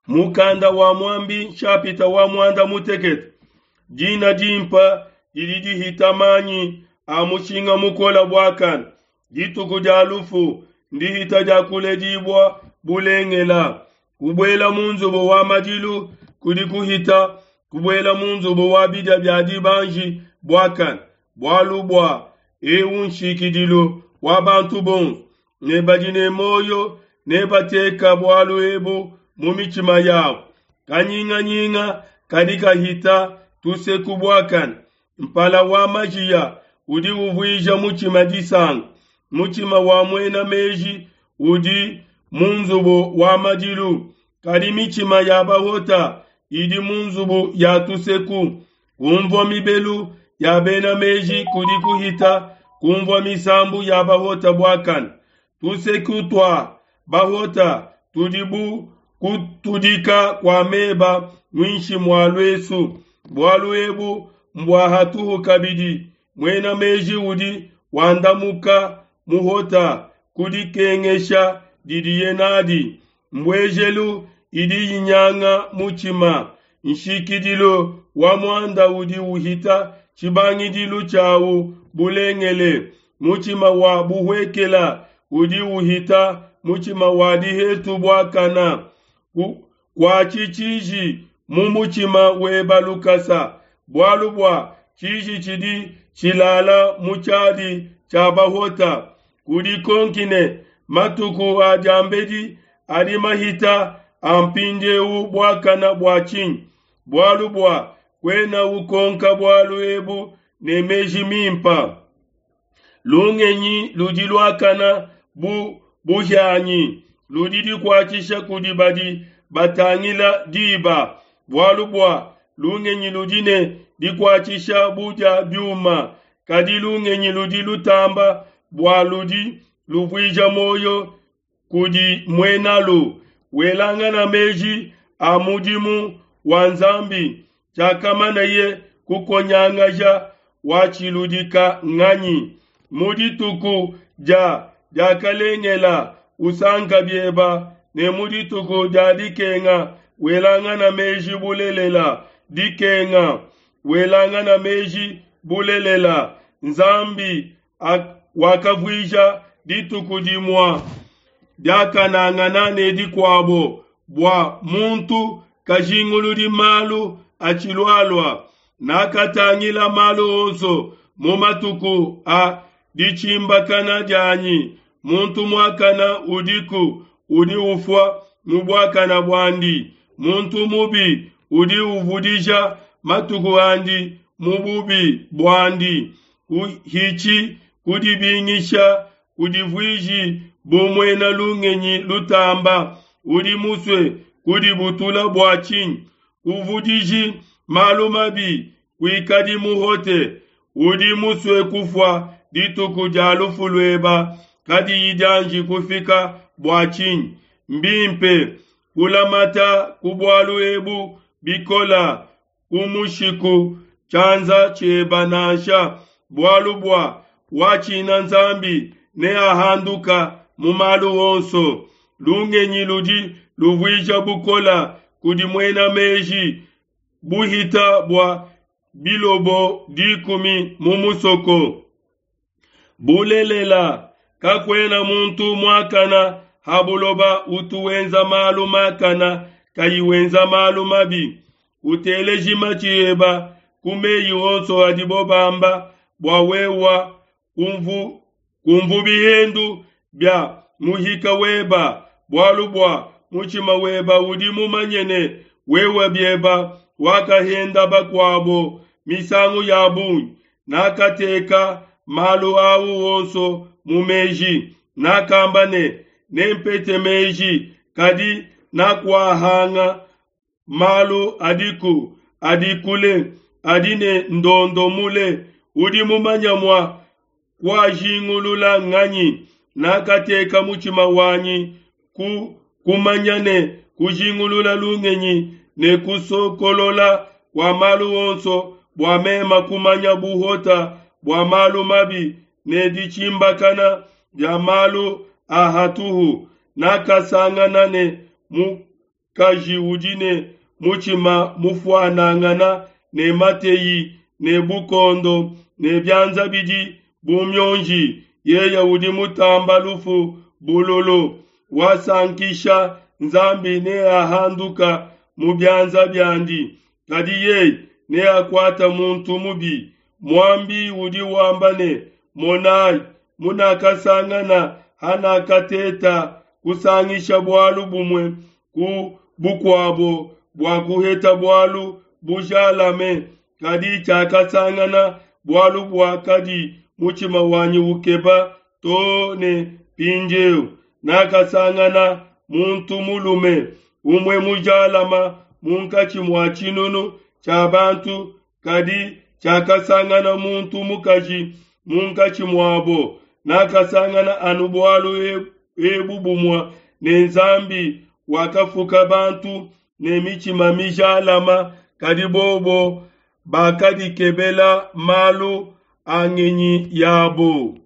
Mukanda wa Muambi nshapita wa muanda mutekete. Dina dimpa didi dihita manyi a mushinga mukole buakane. Dituku dia lufu ndihita dia kuledibua bulengela. Kubuela mu nzubu wa madilu kudi kuhita kubuela mu nzubu wa bidia bia dibanji buakane. Bualu bua eu nshikidilu wa bantu bonso, ne badi ne muoyo nebateka bualu ebu mu mitshima yabo. Kanyinganyinga kadi kahita tuseku buakane. Mpala wa majiya udi uvuija mutshima disanka. Mutshima wa muena meji udi mu nzubu wa madilu, kadi mitshima ya bahota idi mu nzubu ya tuseku. Kumvua mibelu ya bena meji kudi kuhita kumvua misambu ya bahota buakane. Tuseku tua bahota tudi bu kutudika kua meba muinshi mua luesu. Bualu ebu mbua hatuhu kabidi. Muena meji udi wandamuka muhota ku dikengesha didiye nadi. Mbuejelu idi inyanga mutshima. Nshikidilu wa muanda udi uhita tshibangidilu tshiawu bulengele. Mutshima wa buhuekela udi uhita mutshima wa dihetu buakana. Kuatshi tshiji mu mutshima weba lukasa, bualu bua tshiji tshidi tshilala mu tshiadi tshia bahota. Kudikonki ne matuku a diambedi adi mahita a mpindieu buakana bua tshinyi? Bualu bua kuena ukonka bualu ebu ne meji mimpa. Lungenyi ludi luakana bu buhianyi, ludi dikuatshisha kudi badi batangila diba. Bualu bua lungenyi ludi ne dikuatshisha bu dia biuma, kadi lungenyi ludi lutamba bua ludi luvuija muoyo kudi muenalu. Welangana meji a mudimu wa Nzambi, tshiakamanaye kukonyangaja watshiludika nganyi? Mu dituku dia diakalengela usanka bieba, ne mu dituku dia dikenga welangana meji bulelela. Dikenga welangana meji bulelela. Nzambi wakavuija dituku dimua diakanangana ne dikuabo bua muntu kajinguludi malu atshilualua. Nakatangila malu onso mu matuku a ditshimbakana dianyi. Muntu muakana udiku udi ufua mu buakana buandi, muntu mubi udi uvudija matuku andi mu bubi buandi. Kuhitshi kudibingisha, kudivuiji bu muena lungenyi lutamba. Udi musue kudibutula bua tshinyi? Kuvudiji malu mabi, kuikadi muhote. Udi musue kufua dituku dia lufu lueba kadiyi dianji kufika bua tshinyi? Mbimpe kulamata ku bualu ebu bikola kumushiku tshianza tshieba nansha, bualu bua watshina Nzambi neahanduka mu malu onso. Lungenyi ludi luvuija bukola kudi muena meji, buhita bua bilobo dikumi mu musoko. Bulelela, kakuena muntu muakana ha buloba utu wenza malu makana kayi wenza malu mabi. Uteleji matshi eba ku meyi onso adibo bamba, bua wewa kumvu bihendu bia muhika weba, bualu bua mutshima weba udi mumanye ne wewe bieba wakahenda bakuabo misangu ya bungi. Nakateka malu au onso mu meji, nakamba ne nempete meji, kadi nakuahanga malu adiku adi kule, adi ne ndondo mule. Udi mumanya mua kuajingulula nganyi? Nakateka mutshima wanyi ku kumanya ne kujingulula lungenyi ne kusokolola kua malu onso, bua mema kumanya buhota bua malu mabi ne ditshimbakana dia malu a hatuhu. Nakasangana ne mu Mukaji udi ne mutshima mufuanangana ne mateyi ne bukondo ne bianza bidi bu mionji, yeye udi mutamba lufu bululu. Wasankisha Nzambi neahanduka mu bianza biandi, kadi yeye neakuate muntu mubi. Muambi udi wamba ne, Monai, munakasangana hanakateta kusangisha bualu bumue ku bukuabo bua kuheta bualu bujalame, kadi tshiakasangana bualu buakadi mutshima wanyi ukeba to ne mpindiu. Nakasangana muntu mulume umue mujalama munkatshi mua tshinunu tshia bantu, kadi tshiakasangana muntu mukaji munkatshi muabo. Nakasangana anu bualu ebu bumue ne Nzambi wakafuka bantu ne mitshima mijalama, kadi bobo bakadikebela malu a ngenyi yabo.